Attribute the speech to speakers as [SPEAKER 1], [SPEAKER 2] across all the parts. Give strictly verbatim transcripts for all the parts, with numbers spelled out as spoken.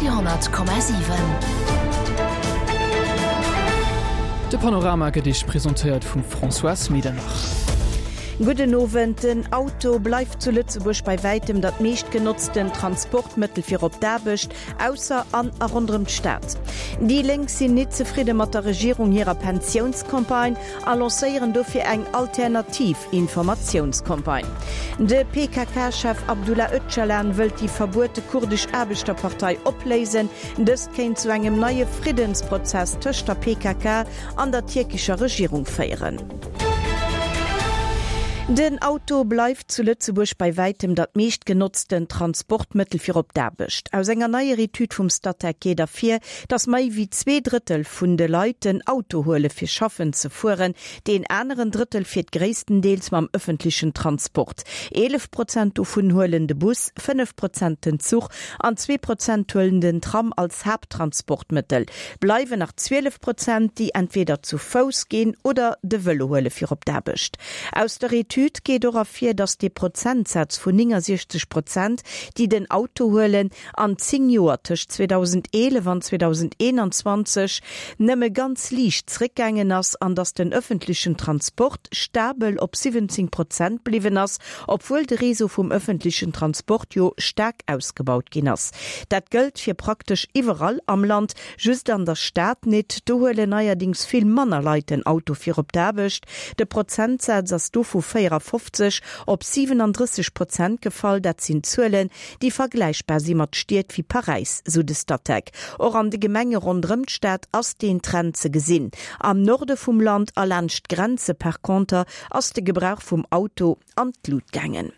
[SPEAKER 1] Radio honnert Komma siwen.
[SPEAKER 2] De Panorama gëtt Iech presentéiert vum Françoise Medernach.
[SPEAKER 3] Gudden Owend. Den Auto bleift zu Lëtzebuerg bei wäitem dat meeschtgenotzten Transportmëttel fir op d'Aarbecht, ausser an a ronderëm d'Stad. Déi Lénk sinn nit zefridde mat der Regierung hirer Pensiounscampagne a lancéieren dofir eng alternativ Informatiounscampagne. De P K K-Chef Abdullah Öcalan wëllt déi verbuete kurdesch Aarbechterpartei opléisen. Dëst kéint zu engem neie Friddensprozess tëscht der P K K an der tierkescher Regierung féieren. Den Auto bleift zu Lëtzebuerg bei wäitem dat meeschtgenotzten Transportmëttel fir op d'Aarbecht. Aus enger neier Etüd vum Statec geet ervir, datt méi wéi zwee Drëttel vun de Leit den Auto huele fir schaffen ze fueren, deen aneren Drëttel fiert gréisstendeels mam ëffentlechen Transport. Eelef Prozent dovun huelen de Bus, fënnef Prozent den Zuch an zwee Prozent huelen den Tram als Haapttransportmëttel. Bleiwen nach zwielef Prozent, déi entweder zu Fouss ginn oder de Vëlo huele fir op d'Aarbecht. Aus der Etüd geet och ervir, datt de Prozentsaz vun néngensechzeg Prozent, déi den Auto huelen, an zéng Joer tëscht zweedausendeelef an zweedausendeenanzwanzeg nëmme ganz liicht zréckgaangen ass an datt den ëffentlechen Transport stabel op siwwenzéng Prozent bliwwen ass, obwuel de Réseau vum ëffentlechen Transport jo staark ausgebaut ginn ass. Dat gëllt fir praktesch iwwerall am Land, just an der Stad net, do huelen neierdéngs vill manner Leit den Auto fir op d'Aarbecht. De Prozentsaz ass do vu véierafofzeg op siwenendrësseg Prozent gefall, dat sinn Zuelen, déi vergläichbar si mat Stied wéi Paräis, sou de Statec. Och an de Gemenge ronderëm d'Stad ass deen Trend ze gesinn. Am Norde vum Land a laanscht d'Grenze par conter ass de Gebrauch vum Auto an d'Lut gaangen.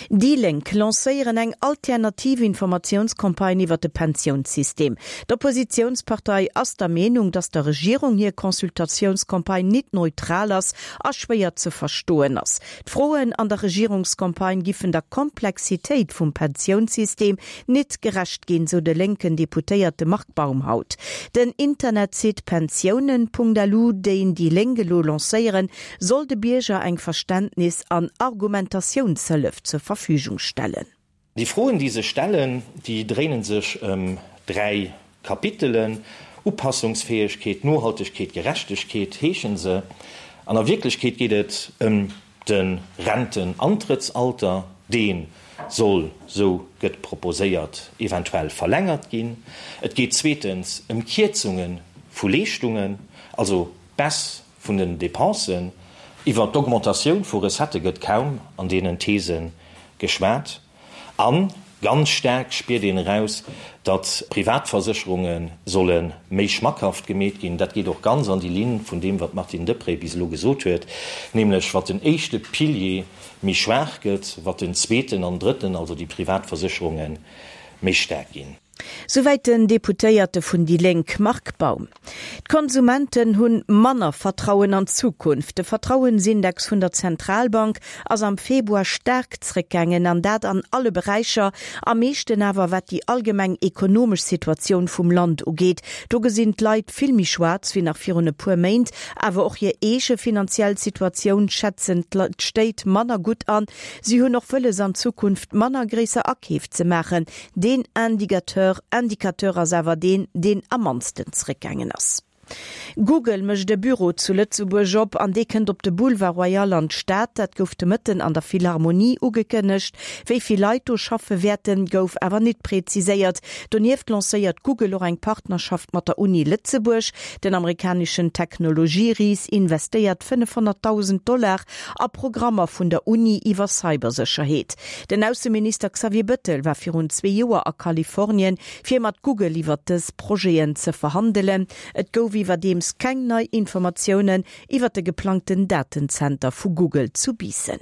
[SPEAKER 3] Déi Lénk lancéieren eng alternativ Informatiounscampagne iwwer de Pensiounssystem. D'Oppositiounspartei ass der Meenung, datt der Regierung hir Consultatiounscampagne nit neutral ass a schwéier ze verstoen ass. D'Froen an der Regierungscampagne giffen der Komplexitéit vum Pensiounssystem nit gerecht ginn, sou de lénken Deputéierte Marc Baum haut. Den Internetsite pensiounen Punkt L U, deen déi Lénk elo lancéieren, soll de Bierger eng Verständnis an Argumentatiounshëllef zur Verfügung stellen.
[SPEAKER 4] Déi Froen, déi sech stellen, déi dréinen sech ëm dräi Kapitelen: Upassungsfäegkeet, Nohaltegkeet, Gerechtegkeet heeschen se. An a Wierklechkeet geet et ëm de Rentenantrëttsalter, dee soll, sou gëtt proposéiert, eventuell verlängert ginn. Et geet zweetens ëm Kierzunge vu Leeschtungen, also Baisse vun den Depensen. Iwwer d'Augmentatioun vu Recettë gëtt kaum an deenen These geschwat. A ganz staark spiert een eraus, datt Privatversécherunge solle méi schmackhaft gemeet ginn. Dat geet och ganz an déi Linn vun deem, wat d'Martine Deprez bis elo gesot huet, nämlech wat den éischte Pilier méi schwaach gëtt, wat den zweeten an drëtten, also déi Privatversécherunge méi staark ginn.
[SPEAKER 3] Souwäit den Deputéierte vun déi Lénk Marc Baum. D'Konsumenten hunn manner Vertrauen an d'Zukunft. De Vertrauensindex vun der Zentralbank ass am Februar staark zréckgaangen an dat an alle Beräicher, am meeschten awer wat déi allgemeng ekonomesch Situatioun vum Land ugeet. Do gesinn d'Leit vill méi schwaarz wéi nach virun e puer Méint, awer och hir eege finanziell Situatioun schätzen d'Stéit manner gutt an. Si hunn och wëlles an Zukunft manner gréisser Akeef ze maachen. Deen Indicateur Indicateur ass awer deen, deen am mannsten zréckgaangen ass. Google mécht e Büro zu Lëtzebuerg op an dee kënnt op de Boulevard Royal an d'Stad. Dat gouf de Mëtten an der Philharmonie ugekënnegt. Wéi vill Leit do schaffe wäerten, gouf awer net präziséiert. Donieft lancéiert Google och eng Partnerschaft mat der Uni Lëtzebuerg. Den amerikaneschen Technologieris investéiert fënnefhonnertdausend Dollar a Programmer vun der Uni iwwer Cybersécherheet. Den Ausseminister Xavier Bettel war virun zwee Joer a Kalifornien, fir mat Google iwwer dës Projeten ze verhandelen. Et gouf iwwerdeems keng nei Informatiounen iwwer de geplangten Datenzenter vu Google zu Biissen.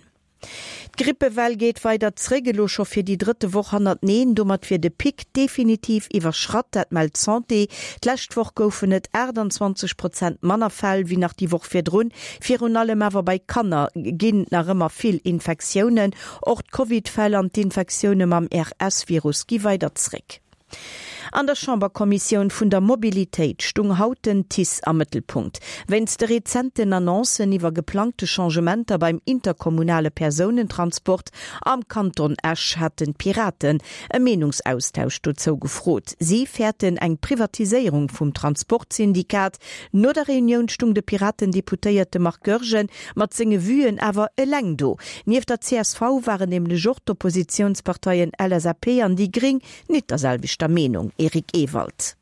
[SPEAKER 3] D'Grippewell geet weider zréck, elo scho fir déi drëtte Woch hannerteneen. Domat wier de Pic definitiv iwwerschratt, dat mellt d'Santé. D'lescht Woch goufen et aachtanzwanzeg Prozent manner Fäll wéi nach déi Woch virdrun. Virun allem awer bei Kanner ginn nach ëmmer vill Infektiounen. Och d'Covid-Fäll an d'Infektioune mam R S-Virus gi weider zréck. An der Chamberkommissioun vun der Mobilitéit stung haut den TICE am Mëttelpunkt. Wéinst de rezenten Annoncen iwwer geplangte Changementer beim interkommunale Persounentransport am Kanton Esch haten d'Piraten e Meenungsaustausch dozou gefrot. Si fäerten eng Privatiséierung vum Transportsyndikat. No der Reunioun stung de Piraten-Deputéierte Marc Goergen mat senge Vuen awer eleng do. Nieft der C S V waren nämlech och d'Oppositiounsparteien L S A P an déi Gréng net der selwechter Meenung. Eric Ewald.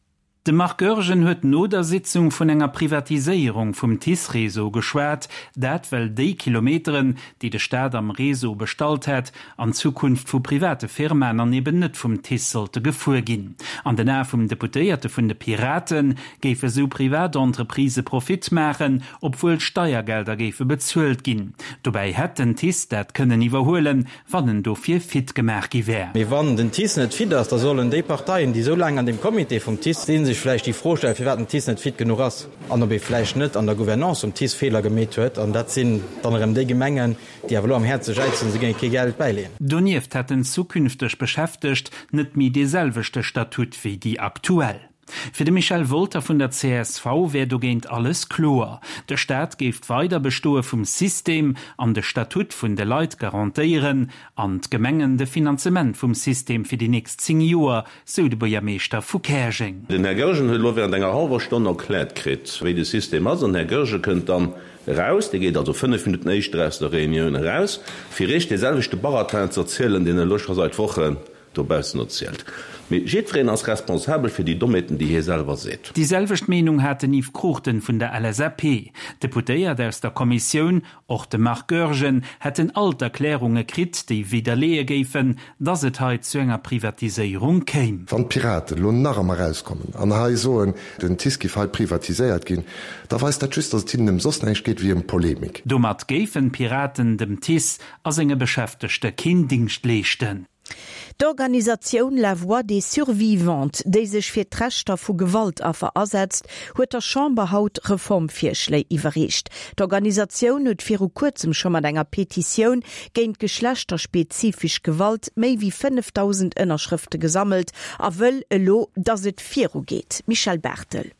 [SPEAKER 1] De Marc Goergen huet no der Sitzung vun enger Privatiséierung vum TICE-Réseau geschwat, dat well déi Kilometeren, déi de Staat am Réseau bestallt hätt, an Zukunft vu private Firmaen an eben net vum TICE sollte gefuer ginn. An den Ae vum Deputéierte vun de Piraten géife sou Privatentreprisë Profit maachen, obwuel Steiergelder géife bezuelt ginn. Dobäi hätt den TICE dat kënnen iwwerhuelen, wann en dofir fit gemaach gi wär.
[SPEAKER 5] Mee wann den TICE net fit ass, da sollen déi Parteien, déi sou laang an dem Comité vum TICE sinn, sech vläicht déi Fro stellen, firwat den TICE net fit genuch ass an ob ee vläicht net an der Gouvernance vum TICE Feeler gemeet huet. An dat sinn dann erëm déi Gemengen, déi awer elo am Häerze jäizen, se géinge kee Geld bäileeën.
[SPEAKER 1] Donieft hätten zukünfteg Beschäftegt net méi dee selwechte Statut wéi déi aktuell. Fir de Michel Wolter vun der C S V wär dogéint alles kloer. De Staat géif d'Weiderbestoe vum System an de Statut vun de Leit garantéieren an d'Gemengen de Finanzement vum System fir déi nächst zéng Joer, sou de Buergermeeschter vu Käerjeng.
[SPEAKER 6] Den Här Goergen huet elo wärend enger hallwer Stonn erkläert kritt, wéi de System ass, an den Här Goergen kënnt dann eraus, dee geet also fënnef Minutten éischter aus der Reunioun eraus, fir Iech dee selwechte Baratin ze erzielen, deen en elo scho seit Wochen dobaussen erzielt. Mee jiddwereen ass responsabel fir déi Dommheeten, déi hie selwer seet.
[SPEAKER 1] Déi selwecht Meenung hat den Yves Cruchten vun der L S A P. D'Deputéiert aus der Kommissioun, och de Marc Goergen, hätten all d'Erklärunge kritt, déi widderleeë géifen, dass et hei zu enger Privatiséierung kéim.
[SPEAKER 7] Wann d'Piraten elo nach emol erauskommen an hei soen, den TICE géif hei privatiséiert ginn, da weist dat just, dass et hinnen ëm soss näischt geet wéi ëm Polemik.
[SPEAKER 1] Domat géifen d'Piraten dem TICE a senge Beschäftegte keen Dingscht leeschten.
[SPEAKER 3] D'Organisatioun La Voix des Survivantes, déi sech fir d'Rechter vu Gewaltaffer asetzt, huet der Chamber haut Reformvirschléi iwwerreecht. D'Organisatioun huet viru kuerzem scho mat enger Petitioun géint geschlechterspezifesch Gewalt méi wéi fënnefdausend Ënnerschrëfte gesammelt a wëll elo, dass et virugeet. Michèle Barthel.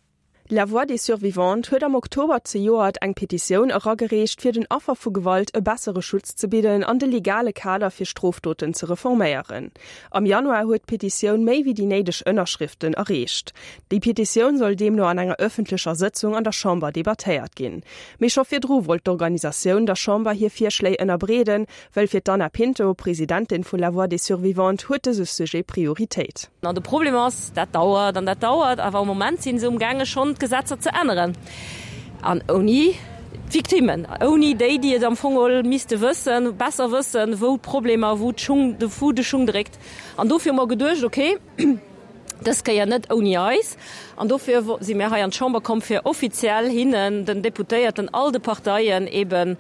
[SPEAKER 8] La Voix des Survivantes huet am Oktober zejoert eng Petitioun eragereecht, fir den Affer vu Gewalt e bessere Schutz ze bidden an de legale Kader fir Strofdoten ze reforméieren. Am Januar huet d'Petitioun méi wéi déi néideg Ënnerschrëften erreecht. Déi Petitioun soll deemno an enger ëffentlecher Sëtzung an der Chamber debattéiert ginn. Mee scho virdru wollt d'Organisatioun der Chamber hir Virschléi ënnerbreeden, well fir d'Anna Pinto, Presidentin vu La Voix des Survivantes, huet dëse Sujet Prioritéit.
[SPEAKER 9] An de Problem ass, dat dauert an dat dauert, awer am Moment si se amgaange schonn d'Gesetzer ze änneren. An ouni d'Victimmen, ouni déi, déi et am Fong misste wëssen, besser wëssen, wou d'Problemer, wou d'Schung, de wou de Schung dréckt. An dofir hu mer geduecht, okay, dës Kéier net ouni eis. An dofir si mir hei an d'Chamber komm fir offiziell hinnen, den Deputéierten, all de Parteien eben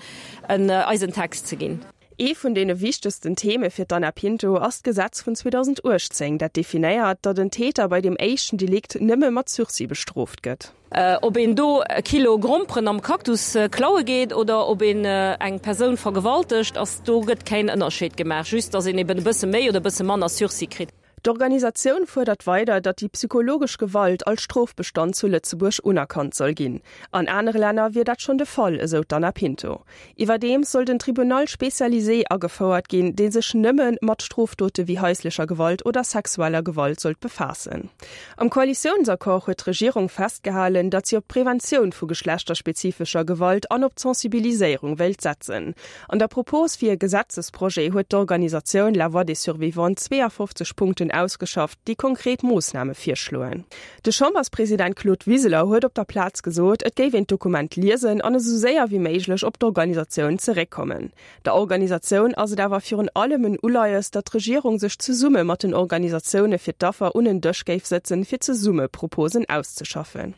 [SPEAKER 9] en eisen Text ze ginn.
[SPEAKER 8] Ee vun deene wichtegsten Theme fir d'Anna Pinto ass d'Gesetz vun zweedausenduechtzéng, dat definéiert, datt den Täter bei dem éischten Delikt nëmme mat Sursis bestrooft gëtt.
[SPEAKER 9] Ob een do e Kilo Gromperen am Cactus klaue geet oder ob een eng Persoun vergewaltegt, ass do gëtt keen Ënnerscheed gemaach, just datt een eben e bësse méi oder e bësse manner Sursis kritt.
[SPEAKER 8] D'Organisatioun fuerdert weider, datt déi psychologesch Gewalt als Strofbestand zu Lëtzebuerg unerkannt soll ginn. An anere Länner wier dat schonn de Fall, esou d'Anna Pinto. Iwwerdeems soll den Tribunal spécialisé agefouert ginn, dee sech nëmme mat Strofdote wéi haislecher Gewalt oder sexueller Gewalt sollt befaassen. Am Koalitiounsaccord huet d'Regierung festgehalen, datt si op d'Preventioun vu geschlechterspezifescher Gewalt an op d'Sensibiliséierung wéilt setzen. An der Propos fir e Gesetzesprojet huet d'Organisatioun La Voix des Survivantes zweeafofzeg Punkten ausgeschafft, déi konkret Moossname virschloen. De Chamberspresident Claude Wiseler huet op der Plaz gesot, et géif een d'Dokument liesen an esou séier wéi méiglech op d'Organisatioun zeréckkommen. Der Organisatioun ass et awer virun allem en Uleies, datt d'Regierung sech zesumme mat den Organisatioune fir d'Affer un en Dësch géif sëtzen, fir zesumme Proposen auszeschaffen.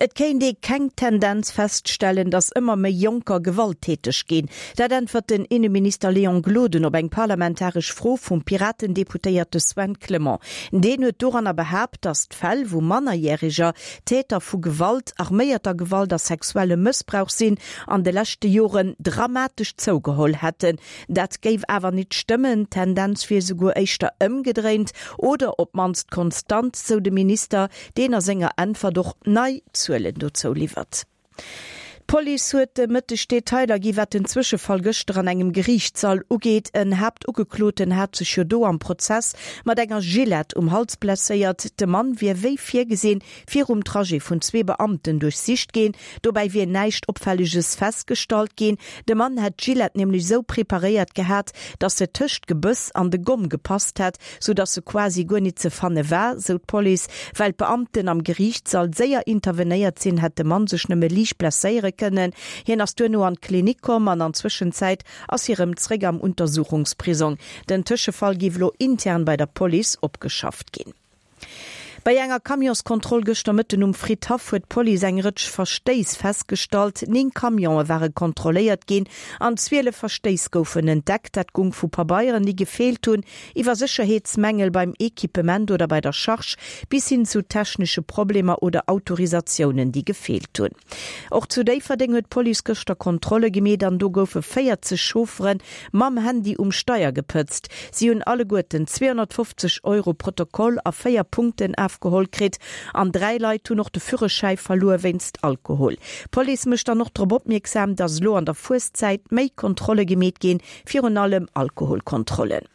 [SPEAKER 3] Et kéint ee keng Tendenz feststellen, datt ëmmer méi Jonker gewalttäteg ginn. Dat äntwert den Inneminister Léon Gloden op eng parlamentaresch Fro vum Piraten-Deputéierte Sven Clement. Deen huet doranner behaapt, datt d'Fäll, wou Mannerjäreger Täter vu Gewalt, arméierter Gewalt a sexuellem Mëssbrauch sinn, an de leschte Joren dramatesch zougeholl hätten. Dat géif awer nit stëmmen, d'Tendenz wier souguer éischter ëmgedréint oder op d'mannst konstant, sou de Minister, deen a senger Äntwert och nei Zuelen dozou liwwert. D'Police huet de Mëtteg Detailer gi wat den Zwëschefall gëschter an engem Geriichtssall ugeet. En Haaptugekloten hat sech jo do am Prozess mat enger Gillette um Hals blesséiert. De Mann wier wéi virgesinn virum Trajet vun zwee Beamten duerchsicht ginn. Dobäi wier näischt Opfälleges festgestallt ginn. De Mann hätt d'Gillette nämlech sou preparéiert gehat, datt se tëscht d'Gebëss an de Gomm gepasst hätt, sou datt se quasi guer nit ze fanne war, sou d'Police. Well d'Beamten am Geriichtssall séier intervenéiert sinn, hätt de Mann sech nëmme liicht blesséiere kënnen. Hien ass duerno an d'Klinik komm an an Zwëschenzäit ass hie rëm zréck am Untersuchungsprisong. Den Tëschefall géif elo intern bei der Police opgeschafft ginn. Bei enger Camionskontroll gëschter Mëtten um Fridhaff huet d'Police eng Rëtsch Verstéiss festgestallt. Néng Camionë ware kontrolléiert ginn an zwielef Verstéiss goufen entdeckt. Dat gung vu Pabeieren, déi gefeelt hunn, iwwer Sécherheetsmängel beim Equipement oder bei der Charge bis hin zu technesche Problemer oder Autorisatiounen, déi gefeelt hunn. Och zu Déifferdeng huet d'Police gëschter Kontrolle gemeet an do goufe véierzeg Chauffere mam Handy um Steier gepëtzt. Si hunn alleguerten zweehonnertfofzeg Euro Protokoll a véier Punkten afgeholl kritt an dräi Leit hunn och de Führerschäi verluer wéinst Alkohol. D'Police mécht dann och drop opmierksam, dass elo an der Fueszäit méi Kontrolle gemeet ginn, virun allem Alkoholkontrollen.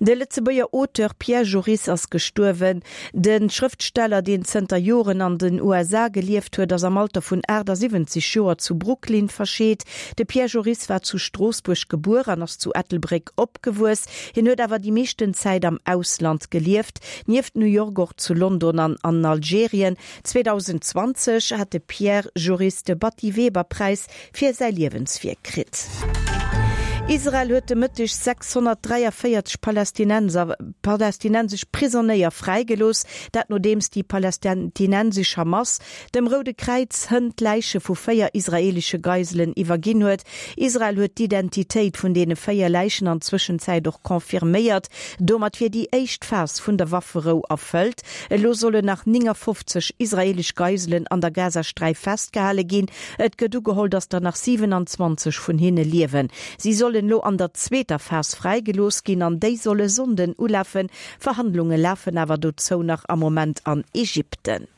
[SPEAKER 3] De Lëtzebuerger Auteur Pierre Joris ass gestuerwen. De Schrëftsteller, deen zënter Joren an den U S A gelieft huet, ass am Alter vun achtasiwwenzeg Joer zu Brooklyn verscheet. De Pierre Joris war zu Stroossbuerg gebuer an ass zu Ettelbréck opgewuess. Hien huet awer déi meeschten Zäit am Ausland gelieft, nieft New York och zu London an an Algerien. zweedausendzwanzeg hat de Pierre Joris de Batty-Weber-Präis fir säi Liewenswierk kritt. Israel huet de Mëtteg sechshonnertdräiavéierzeg Palästinenser, palästinensesch Prisonéier fräigelooss, dat nodeems déi palästinensesch Hamas dem Roude Kräiz hënt d'Läiche vu véier israeelesche Geiselen iwwerginn huet. Israel huet d'Identitéit vun deene véier Läichen an Zwëschenzäit och confirméiert. Domat wier déi éischt Phas vun der Wafferou erfëllt. Elo sollen nach néngafofzeg israeelesch Geiselen an der Gazasträif festgehale ginn. Et gëtt ugeholl, datt der nach siewenanzwanzeg vun hinne liewen. Si sollen elo an der zweeter Phas fräigelooss ginn an déi solle Sonnden ulafen. Verhandlunge lafen awer dozou nach am Moment an Ägypten.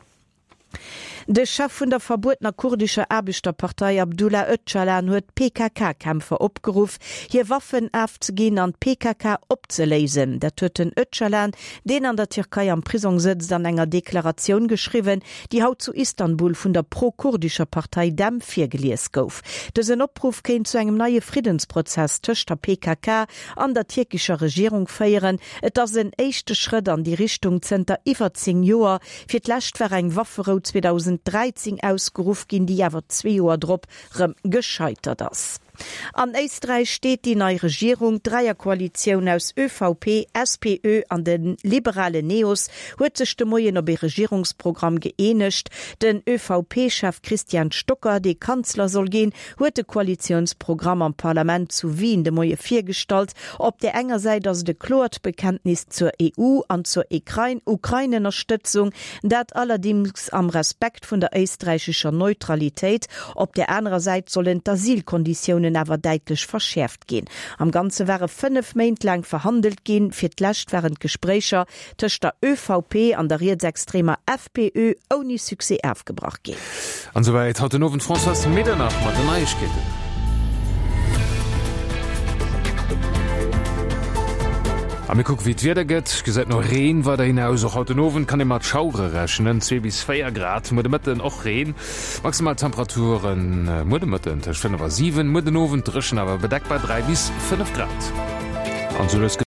[SPEAKER 3] De Chef vun der verbuetener kurdescher Aarbechterpartei Abdullah Öcalan huet d'P K K-Kämpfer opgeruff, hir Waffen afzeginn an d'P K K opzeléisen. Dat huet den Öcalan, deen an der Tierkei am Prisong sëtzt, an enger Deklaratioun geschriwwen, déi haut zu Istanbul vun der pro-kurdescher Partei DEM virgelies gouf. Dësen Opruff kéint zu engem neie Friddensprozess tëscht der P K K an der tierkescher Regierung féieren. Et ass en éischte Schrëtt an déi Richtung zënter iwwer zéng Joer. Fir d'lescht war eng Wafferou zweedausenddräizéng ausgeruff ginn, déi awer zwee Joer drop rëm gescheitert ass. An Éisträich steet déi nei Regierung. D'Dräierkoalitioun aus Ö V P, S P Ö an de liberale Neos huet sech de Moien op ee Regierungsprogramm gëeenegt. Den Ö V P-Chef Christian Stocker, dee Kanzler soll ginn, huet de Koalitiounsprogramm am Parlament zu Wien de Moie virgestallt. Op der enger Säit ass et e kloert Bekenntnis zur E U an zur Ukrain-, Ukraine-Ënnerstëtzung, dat allerdings am Respekt vun der éisträichescher Neutralitéit. Op der anerer Säit sollen d'Asylkonditiounen awer däitlech verschäerft ginn. Am Ganze ware fënnef Méint laang verhandelt ginn. Fir d'lescht waren d'Gespréicher tëscht der Ö V P an der rietsextremer F P Ö ouni Succès afgebrach ginn.
[SPEAKER 10] An souwäit haut den Owend Françoise Medernach mat den Neiegkeeten. A mir kucken, wéi d'Wieder gëtt. Gesäit no Reen weiderhin aus. Och haut den Owend kann ee mat Schauere rechnen. Zwee bis véier Grad, muer de Mëtten och Reen. Maximal Temperaturen muer de Mëtten tëscht fënnef a siwen, muer den Owend dréchen awer bedeckt bei dräi bis fënnef Grad. An sou lues gëtt